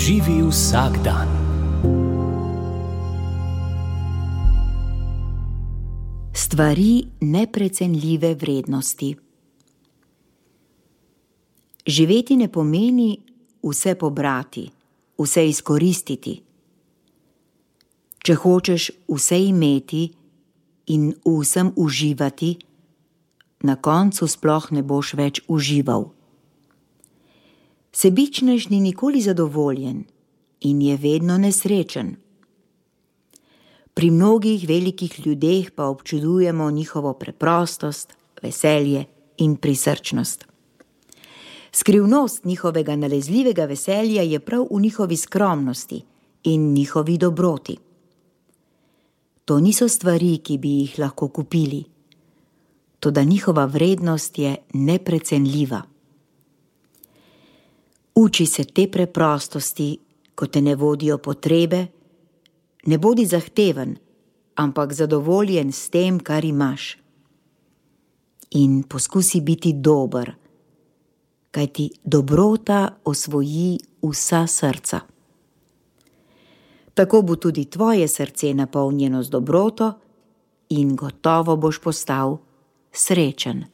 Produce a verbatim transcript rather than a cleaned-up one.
Živi vsak dan. Stvari neprecenljive vrednosti. Živeti ne pomeni vse pobrati, vse izkoristiti. Če hočeš vse imeti in vsem uživati, na koncu sploh ne boš več užival. Sebičnež ni nikoli zadovoljen in je vedno nesrečen. Pri mnogih velikih ljudeh pa občudujemo njihovo preprostost, veselje in prisrčnost. Skrivnost njihovega nalezljivega veselja je prav v njihovi skromnosti in njihovi dobroti. To niso stvari, ki bi jih lahko kupili, toda njihova vrednost je neprecenljiva. Uči se te preprostosti, ko te ne vodijo potrebe. Ne bodi zahteven, ampak zadovoljen s tem, kar imaš. In poskusi biti dober, kajti dobrota osvoji vsa srca. Tako bo tudi tvoje srce napolnjeno z dobroto in gotovo boš postal srečen.